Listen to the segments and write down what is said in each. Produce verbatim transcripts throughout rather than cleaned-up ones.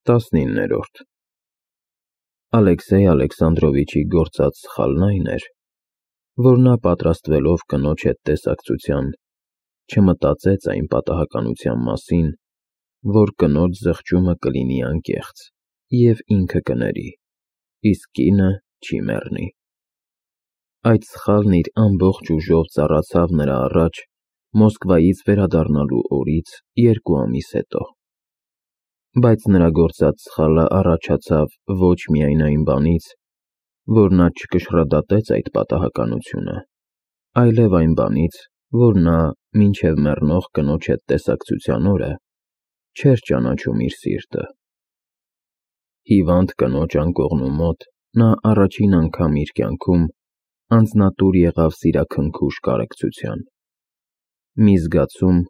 տասնիններորդ Ալեքսեյ Ալեքսանդրովիչի գործած սխալն այն էր, որ նա պատրաստվելով կնոջ հետ տեսակցության, չմտածեց այն պատահականության մասին, որ կնոջ զղջումը կլինի անկեղծ և ինքը կների, իսկ կինը չի մեռնի։ Այդ սխալն իր ամբողջ ուժով ծառացավ նրա առաջ Մոսկվայից վերադառնալու օրից երկու ամիս հետո։ Բայց նրա գործած սխալը առաջացավ ոչ միայն այն բանից, որ նա չկշռադատեց այդ պատահականությունը, այլև այն բանից, որ նա մինչև մեռնող կնոջ հետ տեսակցության օրը չէր ճանաչում իր սիրտը։ Հիվանդ կնոջ անկողնու մոտ նա առաջին անգամ իր կյանքում անձնատուր եղավ սիրաքնքուշ կարեկցության, մի զգացում,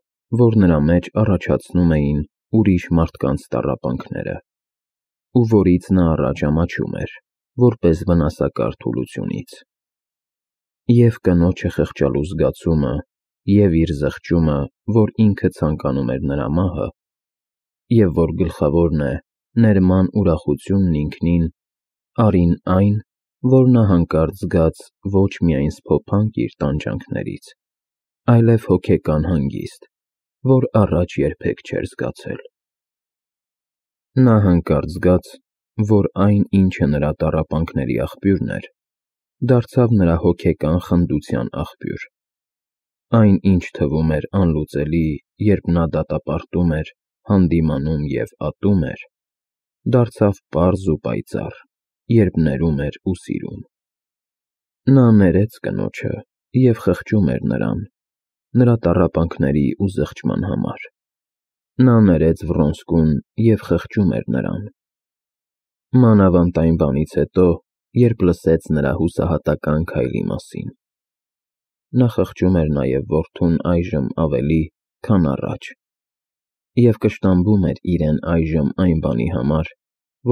որ նրա մեջ առաջացնում էին ուրիշ մարդկանց տառապանքները, ու որից նա առաջ ամաչում էր, որպես վնասակար թուլությունից։ Եվ կնոջը խղճալու զգացումը, և իր զղջումը, որ ինքը ցանկանում էր նրա մահը, և որ գլխավորն է ներման ուրախությունն ինքնին, արին այն, որ նա հանկարծ զգաց ոչ միայն սփոփանք իր տանջանքներից, այլև հոգեկան հանգիստ, որ առաջ երբեք չէր զգացել։ Նա հանկարծ զգաց, որ այն, ինչը նրա տառապանքների աղբյուրն էր, դարձավ նրա հոգեկան խնդության աղբյուր։ Այն, ինչ թվում էր անլուծելի, երբ նա դատապարտում էր, հանդիմանում և ատում էր, դարձավ պարզ ու պայծառ, երբ ներում էր ու սիրում։ Նա ներեց կնոջը և խղճում էր նրան, նրա տառապանքների ու զղջման համար։ Նա ներեց Վռոնսկուն և խղճում էր նրան։ Մանավանդ այն բանից հետո, երբ լսեց նրա հուսահատական քայլի մասին։ Նա խղճում էր նաև որդուն այժմ ավելի, քան առաջ, և կշտամբում էր իրեն այժմ այն բանի համար,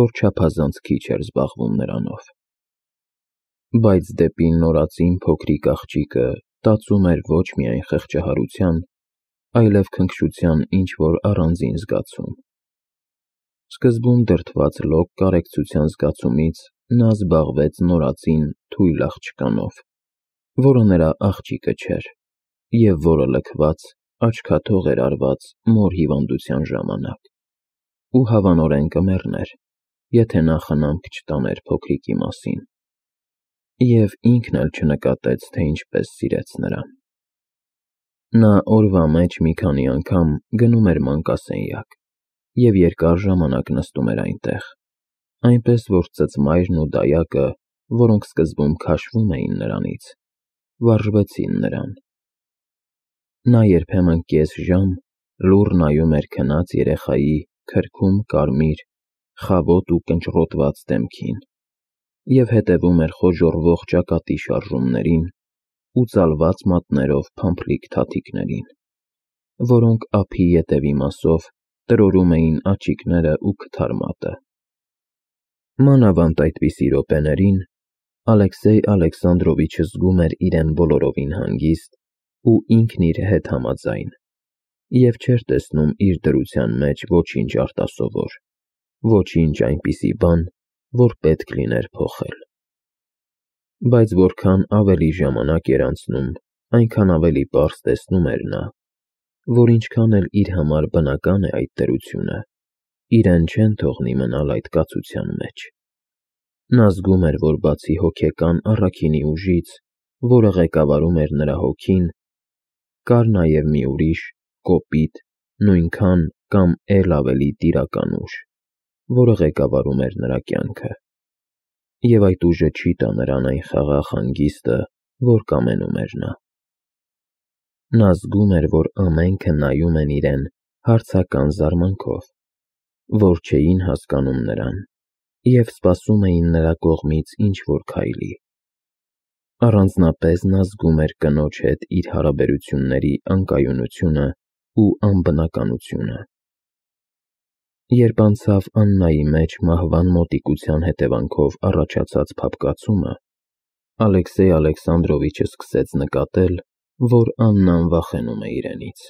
որ չափազանց քիչ էր զբաղվում նրանով։ Բայց դեպի նորածին փոքրիկ աղջիկը տածում էր ոչ միայն խղճահարության, այլև քնքշության ինչ-որ առանձին զգացում։ Սկզբում դրդված լոկ կարեկցության զգացումից նա զբաղվեց նորածին թույլ աղջկանով, որը նրա աղջիկը չէր, և որը լքված, աչքաթող էր արված մոր հիվանդության ժամանակ, ու հավանորեն կմեռներ, եթե նա խնամք չտաներ փոքրիկի մասին, և ինքն էլ չնկատեց, թե ինչպես սիրեց նրան։ Նա օրվա մեջ մի քանի անգամ գնում էր մանկասենյակ և երկար ժամանակ նստում էր այնտեղ, այնպես որ ծծմայրն ու դայակը, որոնք սկզբում քաշվում էին նրանից, վարժվեցին նրան։ Նա երբեմն կես ժամ լուռ նայում էր քնած երեխայի քրքում կարմիր, խավոտ ու կնճռոտված դեմքին և հետևում էր խոժոռվող ճակատի շարժումներին ու ծալված մատներով փամփլիկ թաթիկներին, որոնք ափի ետևի մասով տրորում էին աչիկները ու քթար մատը։ Մանավանդ այդպիսի րոպեներին Ալեքսեյ Ալեքսանդրովիչը զգում էր իրեն բոլորովին հանգիստ ու ինքն իր հետ համաձայն և չէր տեսնում իր դրության մեջ ոչինչ արտասովոր, ոչինչ այնպիսի բան, որ պետք լիներ փոխել։ Բայց որքան ավելի ժամանակ էր անցնում, այնքան ավելի պարզ տեսնում էր նա, որ ինչքան էլ իր համար բնական է այդ դրությունը, իրեն չեն թողնի մնալ այդ կացության մեջ։ Նա զգում էր, որ բացի հոգեկան առաքինի ուժից, որը ղեկավարում էր նրա հոգին, կար նաև մի ուրիշ, կոպիտ, նույնքան կամ էլ ավելի տիրական ուժ, որը ղեկավարում էր նրա կյանքը, և այդ ուժը չի տա նրան այն խաղաղ հանգիստը, որ կամենում էր նա։ Նա զգում էր, որ ամենքը նայում են իրեն հարցական զարմանքով, որ չէին հասկանում նրան և սպասում էին նրա կողմից ինչ-որ քայլի։ Առանձնապես նա զգում էր կնոջ հետ իր հարաբերությունների անկայունությունը ու անբնականությունը։ Երբ անցավ Աննայի մեջ մահվան մոտիկության հետևանքով առաջացած փափկացումը, Ալեքսեյ Ալեքսանդրովիչը սկսեց նկատել, որ Աննան վախենում է իրենից,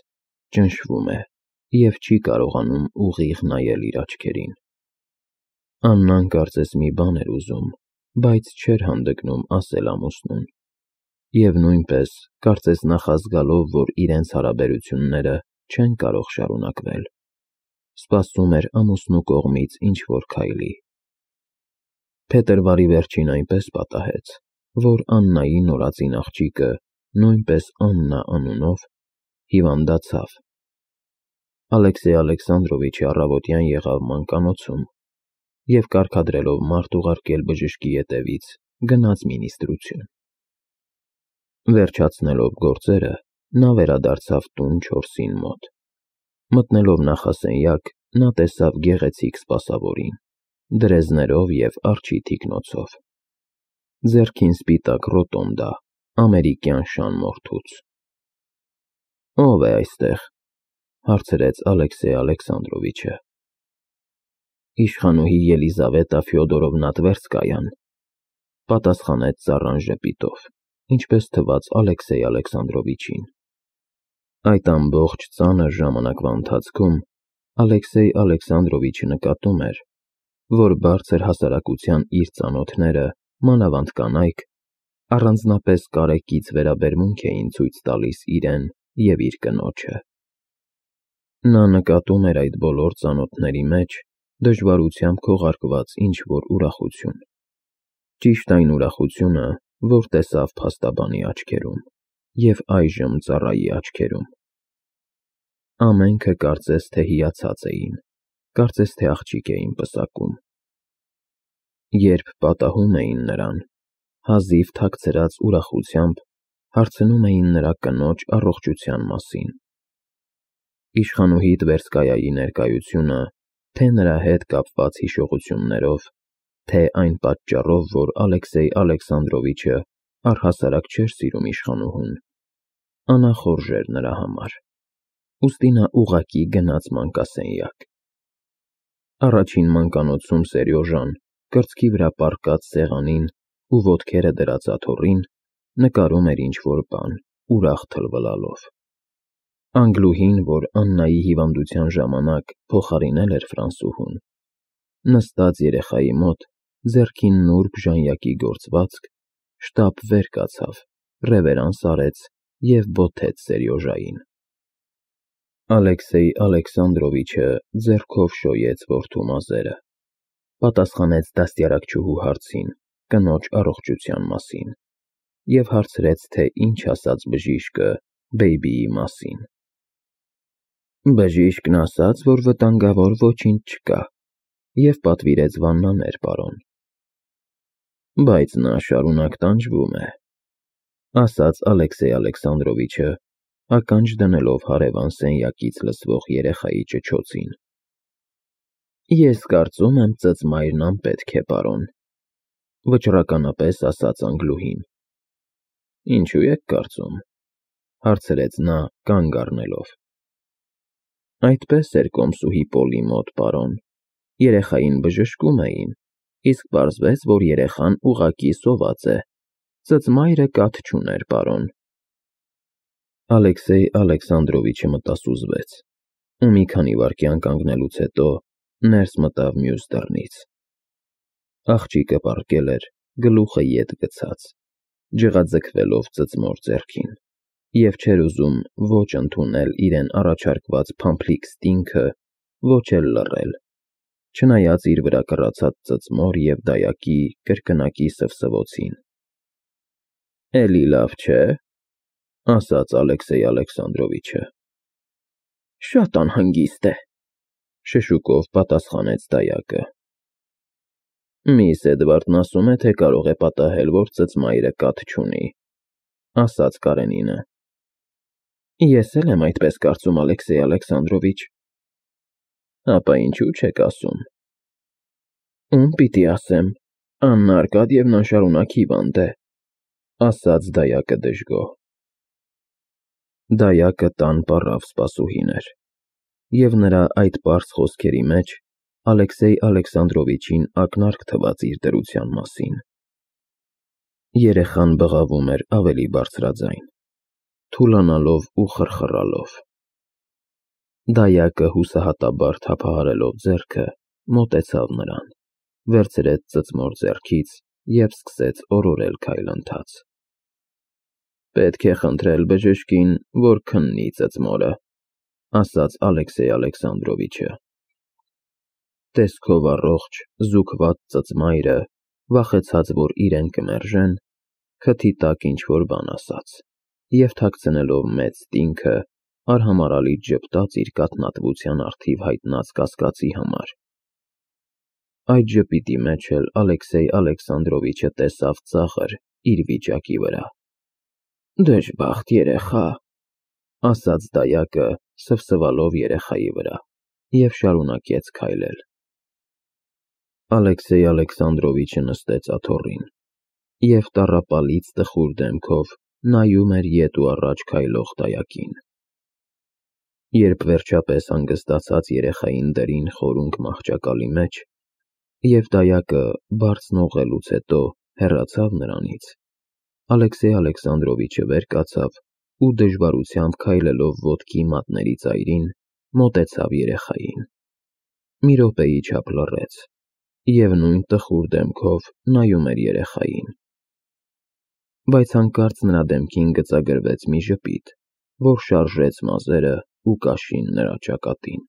ճնշվում է և չի կարողանում ուղիղ նայել իր աչքերին։ Աննան կարծես մի բան էր ուզում, բայց չէր հանդգնում ասել ամուսնուն, և նույնպես կարծես նախազգալով, որ իրենց հարաբերությունները չեն կարող շարունակվել, սպասում էր ամուսնու կողմից ինչ-որ քայլի։ Փետրվարի վերջին այնպես պատահեց, որ Աննայի նորածին աղջիկը, նույնպես Աննա անունով, հիվանդացավ։ Ալեքսեյ Ալեքսանդրովիչը առավոտյան եղավ մանկանոցում և կարգադրելով մարդ ուղարկել բժշկի ետևից, գնաց մինիստրություն։ Վերջացնելով գործերը, նա վերադարձավ տուն չորսին մոտ։ Մտնելով նախասենյակ, նա տեսավ գեղեցիկ սպասավորին, դրեզներով և արջի թիկնոցով, ձեռքին սպիտակ ռոտոնդա, ամերիկյան շան մորթուց։ «Ո՞վ է այստեղ», հարցրեց Ալեքսեյ Ալեքսանդրովիչը։ «Իշխանուհի Ելիզավետա Ֆյոդորովնա Տվերսկայան», պատասխանեց ծառան ժպիտով, ինչպես թվաց Ալեքսեյ Ալեքսանդրովիչին։ Այդ ամբողջ ծանր ժամանակվա ընթացքում Ալեքսեյ Ալեքսանդրովիչը նկատում էր, որ բարձր հասարակության իր ծանոթները, մանավանդ կանայք, առանձնապես կարեկից վերաբերմունք էին ցույց տալիս իրեն և իր կնոջը։ Նա նկատում էր այդ բոլոր ծանոթների մեջ դժվարությամբ քողարկված ինչ-որ ուրախություն, ճիշտ այն ուրախությունը, որ տեսավ փաստաբանի աչքերում և այժմ ծառայի աչքերում։ Ամենքը կարծես թե հիացած էին, կարծես թե աղջիկ էին պսակում։ Երբ պատահում էին նրան, հազիվ թաքցրած ուրախությամբ հարցնում էին նրա կնոջ առողջության մասին։ Իշխանուհի Տվերսկայայի ներկայությունը, թե նրա հետ կապված հիշողություններով, թե այն պատճառով, որ Ալեքսեյ Ալեքսանդրովիչը առհասարակ չէր սիրում իշխանուհուն, անախորժ էր նրա համար, ուստի նա ուղղակի գնաց մանկասենյակ։ Առաջին մանկանոցում Սերյոժան, կրծքի վրա պառկած սեղանին ու ոտքերը դրած աթոռին, նկարում էր ինչ-որ բան, ուրախ թլվլալով։ Անգլուհին, որ Աննայի հիվանդության ժամանակ փոխարինել էր ֆրանսուհուն, նստած երեխայի մոտ, ձեռքին նուրբ ժանյակի գործվածք, շտապ վեր կացավ, ռևերանս արեց և բոթեց Սերյոժային։ Ալեքսեյ Ալեքսանդրովիչը ձեռքով շոյեց որդու մազերը, պատասխանեց դաստիարակչուհու հարցին կնոջ առողջության մասին և հարցրեց, թե ինչ ասաց բժիշկը բեյբիի մասին։ Բժիշկն ասաց, որ վտանգավոր ոչինչ չկա, և պատվիրեց վաննաներ, պարոն։ Բայց նա շարունակ տանջվում է, ասաց Ալեքսեյ Ալեքսանդրովիչը, ականջ դնելով հարևան սենյակից լսվող երեխայի ճչոցին։ Ես կարծում եմ ծծմայրն անպետք է, պարոն, վճռականապես ասաց Անգլուհին։ Ինչու եք կարծում, հարցրեց նա կանգ առնելով։ Այդպես էր կոմսուհի Պոլի մոտ, պարոն, երեխային բժշկում էին, իսկ պարզվեց, որ երեխան ուղղակի սոված է, ծծմայրը կաթ չուներ, պարոն։ Ալեքսեյ Ալեքսանդրովիչը մտասուզվեց ու մի քանի վայրկյան կանգնելուց հետո ներս մտավ մյուս դռնից։ Աղջիկը պառկել էր, գլուխը ետ գցած, ջղաձգվելով ծծմոր ձեռքին, և չէր ուզում ոչ ընդունել իրեն առաջարկված փամփլիկ ստինգը, ոչ էլ լռել, չնայած իր վրա կռացած ծծմոր և դայակի կրկնակի սվսվոցին։ Էլի լավ չէ՞, ասաց Ալեքսեյ Ալեքսանդրովիչը։ Շատ անհանգիստ է, շշուկով պատասխանեց դայակը։ Միս Էդվարդն ասում է, թե կարող է պատահել, որ ծծմայրը կաթ չունի, ասաց Կարենինը։ Ես էլ եմ այդպես կարծում, Ալեքսեյ Ալեքսանդրովիչ։ Ապա ինչու չեք ասում։ Ում պիտի ասեմ, Աննա Արկադիևնան շարունակ հիվանդ է, ասաց դայակը դժգոհ։ Դայակը տան պառավ սպասուհին էր, և նրա այդ պարզ խոսքերի մեջ Ալեքսեյ Ալեքսանդրովիչին ակնարկ թվաց իր դրության մասին։ Երեխան բղավում էր ավելի բարձրաձայն, թուլանալով ու խռխռալով։ Դայակը հուսահատաբար թափահարելով ձեռքը, մոտեցավ նրան, վերցրեց ծծմոր ձեռքից և սկսեց օրորել քայլընթաց։ Պետք է խնդրել բժշկին, որ քննի ծծմորը, ասաց Ալեքսեյ Ալեքսանդրովիչը։ Տեսքով առողջ, զուգված ծծմայրը, վախեցած, որ իրեն կմերժեն, քթի տակ ինչ-որ բան ասաց և թաքցնելով մեծ տինքը, արհամարհալից ժպտաց իր կաթնատվության առթիվ հայտնած կասկածի համար։ Այդ ժպիտի մեջ էլ Ալեքսեյ Ալեքսանդրովիչը տեսավ ծաղր իր վիճակի վրա։ Դժբախտ երեխա, ասաց դայակը, սվսվալով երեխայի վրա, և շարունակեց քայլել։ Ալեքսեյ Ալեքսանդրովիչը նստեց աթոռին և տառապալից տխուր դեմքով նայում էր ետ ու առաջ քայլող դայակին։ Երբ վերջապես հանգստացած երեխային դրին խորունկ մահճակալի մեջ, և դայակը բարձն օղելուց հետո հեռացավ նրանից, Ալեքսեյ Ալեքսանդրովիչը վեր կացավ ու դժվարությամբ քայլելով ոտքի մատների ծայրին, մոտեցավ երեխային։ Մի րոպեի չափ լռեց և նույն տխուր դեմքով նայում էր երեխային։ Բայց հանկարծ նրա դեմքին գծագրվեց մի ժպիտ, որ շարժեց մազերը ու կաշին նրա ճակատին,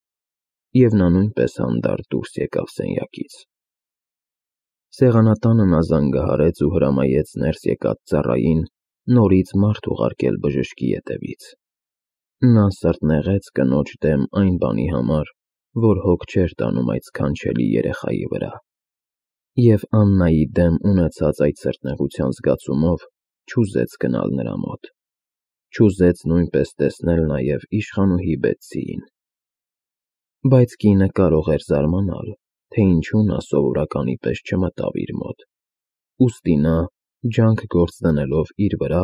և նա նույնպես հանդարտ դուրս եկավ սենյակից։ Սեղանատանը նա զանգահարեց ու հրամայեց ներս եկած ծառային նորից մարդ ուղարկել բժշկի ետևից։ Նա սրտնեղեց կնոջ դեմ այն բանի համար, որ հոգ չէր տանում այդ սքանչելի երեխայի վրա, և Աննայի դեմ ունեցած այդ սրտնեղության զգացումով չուզեց գնալ նրա մոտ, չուզեց նույնպես տեսնել նաև իշխանուհի Բեթսիին։ Բայց կինը կարող էր զարմանալ, թե ինչու նա սովորականի պես չմտավ իր մոտ, ուստի նա, ջանք գործ դնելով իր վրա,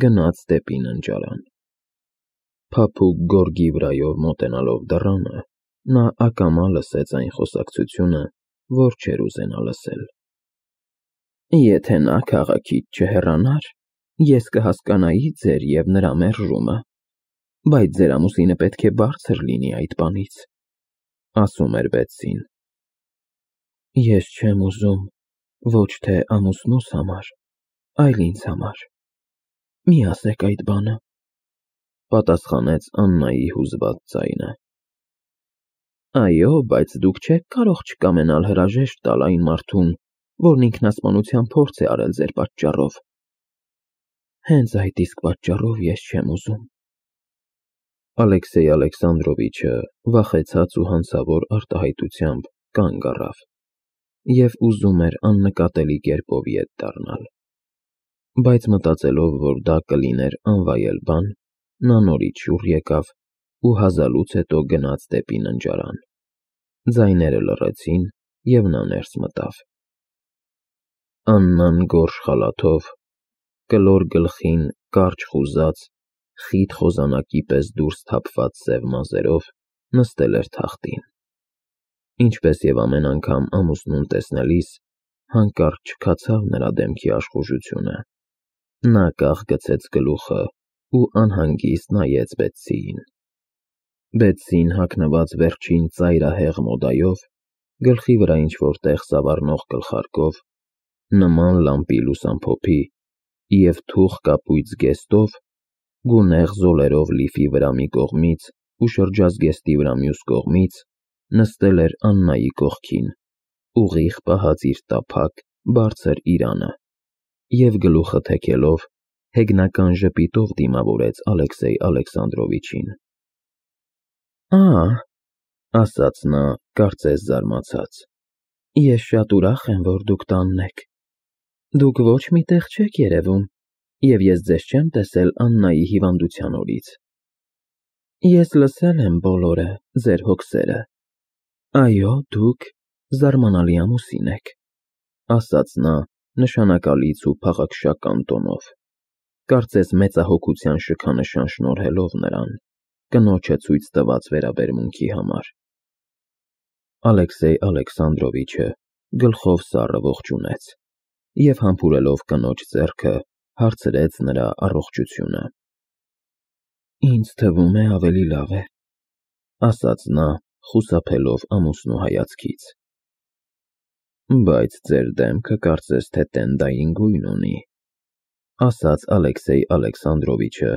գնաց դեպի ննջարան։ Փափուկ գորգի վրայով մոտենալով դռանը, նա ակամա լսեց այն խոսակցությունը, որ չէր ուզենա լսել։ Եթե նա քաղաքից չհեռանար, ես կհասկանայի ձեր և նրա մերժումը, բայց ձեր ամուսինը պետք է բարձր լինի այդ բանից, ասում էր Բեթսին։ Ես չեմ ուզում ոչ թե ամուսնուս համար, այլ ինձ համար, մի ասեք այդ բանը, պատասխանեց Աննայի հուզված ձայնը։ Այո, բայց դուք չեք կարող չկամենալ հրաժեշտ տալ այն մարդուն, որն ինքնասպանության փորձ է արել ձեր պատճառով։ Հենց այդ իսկ պատճառով ես չեմ ուզում։ Ալեքսեյ Ալեքսանդրովիչը վախեցած ու հանցավոր արտահայտությամբ կանգ առավ և ուզում էր աննկատելի կերպով ետ դառնալ, բայց մտածելով, որ դա կլիներ անվայել բան, նա նորից շուռ եկավ ու հազալուց հետո գնաց դեպի ննջարան։ Ձայները լռեցին, և նա ներս մտավ։ Աննան գորշ խալաթով, կլոր գլխին կարճ խուզած, խիտ խոզանակի պես դուրս թափված սև մազերով նստել էր թախտին։ Ինչպես և ամեն անգամ ամուսնուն տեսնելիս, հանկարծ չքացավ նրա դեմքի աշխուժությունը։ Նա կախ գցեց գլուխը ու անհանգիստ նայեց Բեթսիին։ Բեթսին հագնված վերջին ծայրահեղ մոդայով, գլխի վրա ինչ-որ տեղ սավառնող գլխարկով, նման լամպի լուսամփոփի և թուխ կապույտ զգեստով, գունեղ զոլերով լիֆի վրա մի կողմից ու շրջազգեստի վրա մյուս կողմից, նստել էր Աննայի կողքին, ուղիղ պահած իր տափակ, բարձր իրանը, և գլուխը թեքելով, հեգնական ժպիտով դիմավորեց Ալեքսեյ Ալեքսանդրովիչին։ Ա՜, ասաց նա, կարծես զարմացած, ես շատ ուրախ եմ, որ դուք տանն եք։ Դուք ոչ մի տեղ չեք երևում, և ես ձեզ չեմ տեսել Աննայի հիվանդության օրից։ Ես լսել եմ բոլորը, ձեր հոգսերը։ Այո, դուք զարմանալի ամուսին եք, ասաց նա նշանակալից ու փաղաքշական տոնով, կարծես մեծահոգության շքանշան շնորհելով նրան, կնոջը ցույց տված վերաբերմունքի համար։ Ալեքսեյ Ալեքսանդրովիչը գլխով սառը ողջունեց և համբուրելով կնոջ ձեռքը, հարցրեց նրա առողջությունը։ Ինձ թվում է ավելի լավ է, ասաց նա, խուսափելով ամուսնու հայացքից։ Բայց ձեր դեմքը կարծես թե տենդային գույն ունի, ասաց Ալեքսեյ Ալեքսանդրովիչը,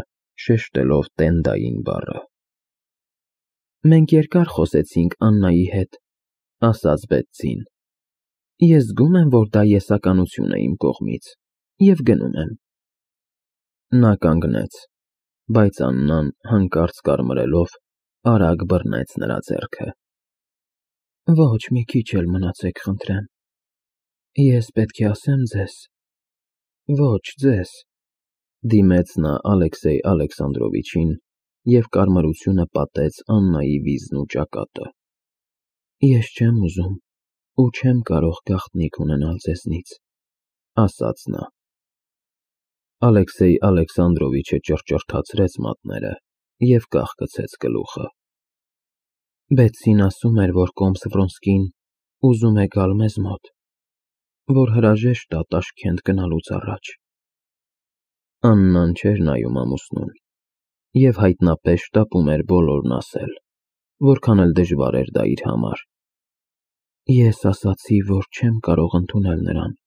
շեշտելով տենդային բառը։ Մենք երկար խոսեցինք Աննայի հետ, ասաց Բետսին։ Ես զգում եմ, որ դա եսականություն է իմ կողմից, և գնում եմ։ Նա կանգնեց, բայց Աննան հանկարծ կարմրելով արագ բռնեց նրա ձեռքը։ Ոչ, մի քիչ էլ մնացեք, խնդրեմ։ Ես պետք է ասեմ ձեզ։ Ոչ, ձեզ, դիմեց նա Ալեքսեյ Ալեքսանդրովիչին և կարմրությունը պատեց Աննայի վիզն ու ճակատը։ Ես չեմ ուզում ու չեմ կարող գաղտնիք ունենալ ձեզնից, ասաց նա։ Ալեքսեյ Ալեքսանդրովիչը ճռճռթացրեց մատները և կախկցեց գլուխը։ Բետսին ասում էր, որ կոմս Վրոնսկին ուզում է գալ մեզ մոտ, որ հրաժեշտ տա Տաշկենտ գնալուց առաջ։ Աննան չէր նայում ամուսնուն և հայտնապես շտապում էր բոլորն ասել, որքան էլ դժվար էր դա իր համար։ Ես ասացի, որ չեմ կարող ընդունել նրան։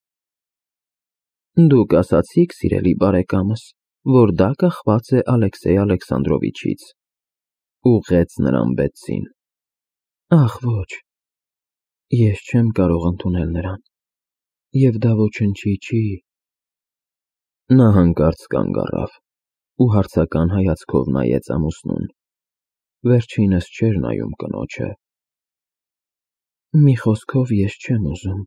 Դուք ասացիք, սիրելի բարեկամս, որ դա կախված է Ալեքսեյ Ալեքսանդրովիչից, ուղղեց նրան Բետսին։ Ախ, ոչ, ես չեմ կարող ընդունել նրան, և դա ոչնչի չի։ Նա հանկարծ կանգ առավ ու հարցական հայացքով նայեց ամուսնուն, վերջինս չէր նայում կնոջը։ Մի խոսքով, ես չեմ ուզում։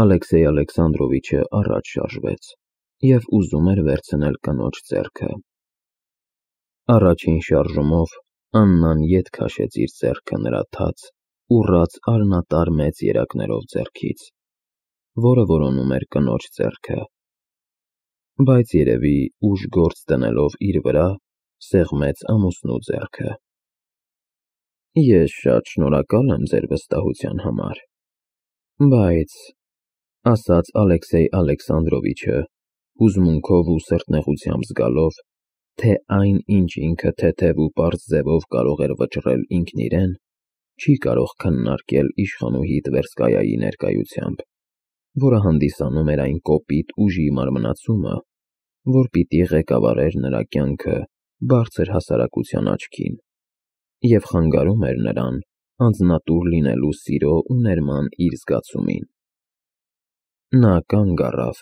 Ալեքսեյ Ալեքսանդրովիչը առաջ շարժվեց և ուզում էր վերցնել կնոջ ձեռքը։ Առաջին շարժումով Աննան ետ քաշեց իր ձեռքը նրա թաց, ուռած արյունատար մեծ երակներով ձեռքից, որը որոնում էր կնոջ ձեռքը, բայց երևի ուժ գործ դնելով իր վրա, սեղմեց ամուսնու ձեռքը։ Ես շատ շնորհակալ եմ ձեր վստահության համար, բայց, ասաց Ալեքսեյ Ալեքսանդրովիչը, հուզմունքով ու սրտնեղությամբ զգալով, թե այն, ինչ ինքը թեթև ու պարզ ձևով կարող էր վճռել ինքն իրեն, չի կարող քննարկել իշխանուհի Տվերսկայայի ներկայությամբ, որը հանդիսանում էր այն կոպիտ ուժի մարմնացումը, որ պիտի ղեկավարեր նրա կյանքը բարձր հասարակության աչքին և խանգարում էր նրան անձնատուր լինելու սիրո ու ներման իր զգացումին։ Նա կանգ առավ,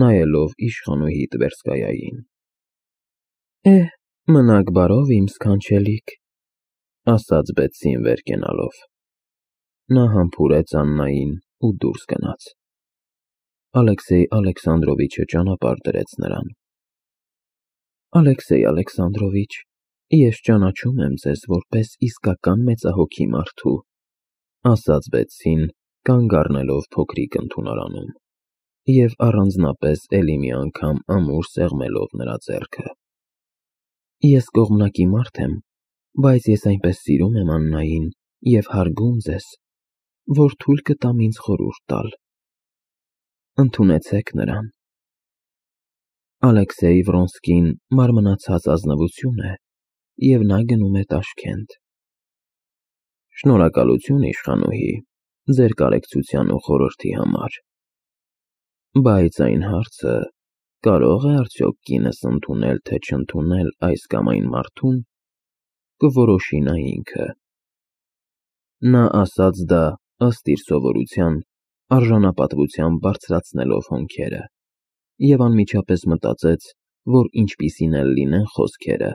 նայելով իշխանուհի Տվերսկայային։ Էհ, մնաք բարով, իմ սքանչելիք, ասաց Բետսին վեր կենալով։ Նա համբուրեց Աննային ու դուրս գնաց։ Ալեքսեյ Ալեքսանդրովիչը ճանապարհ դրեց նրան։ Ալեքսեյ Ալեքսանդրովիչ, ես ճանաչում եմ ձեզ որպես իսկական մեծահոգի մարդու, ասաց Բետսին, կանգ առնելով փոքրիկ ընդունարանում և առանձնապես էլի մի անգամ ամուր սեղմելով նրա ձեռքը։ Ես կողմնակի մարդ եմ, բայց ես այնպես սիրում եմ Աննային և հարգում ձեզ, որ թույլ կտամ ինձ խորհուրդ տալ։ Ընդունեցեք նրան։ Ալեքսեյ Վրոնսկին մարմնացած ազնվություն է, և նա գնում է Տաշկենտ։ Շնորհակալություն, իշխանուհի, ձեր կարեկցության ու խորհրդի համար, բայց այն հարցը, կարո՞ղ է արդյոք կինս ընդունել, թե չընդունել այս կամ այն մարդուն, կորոշի նա ինքը։ Նա ասաց դա, ըստ իր սովորության, արժանապատվությամբ բարձրացնելով հոնքերը, և անմիջապես մտածեց, որ ինչպիսին էլ լինեն խոսքերը,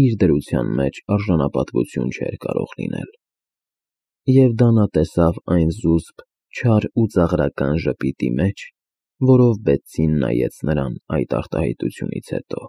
իր դրության մեջ արժանապատվություն չէր կարող լինել։ Եվ դա նա տեսավ այն զուսպ, չար ու ծաղրական ժպիտի մեջ, որով Բետսին նայեց նրան այդ արտահայտությունից հետո։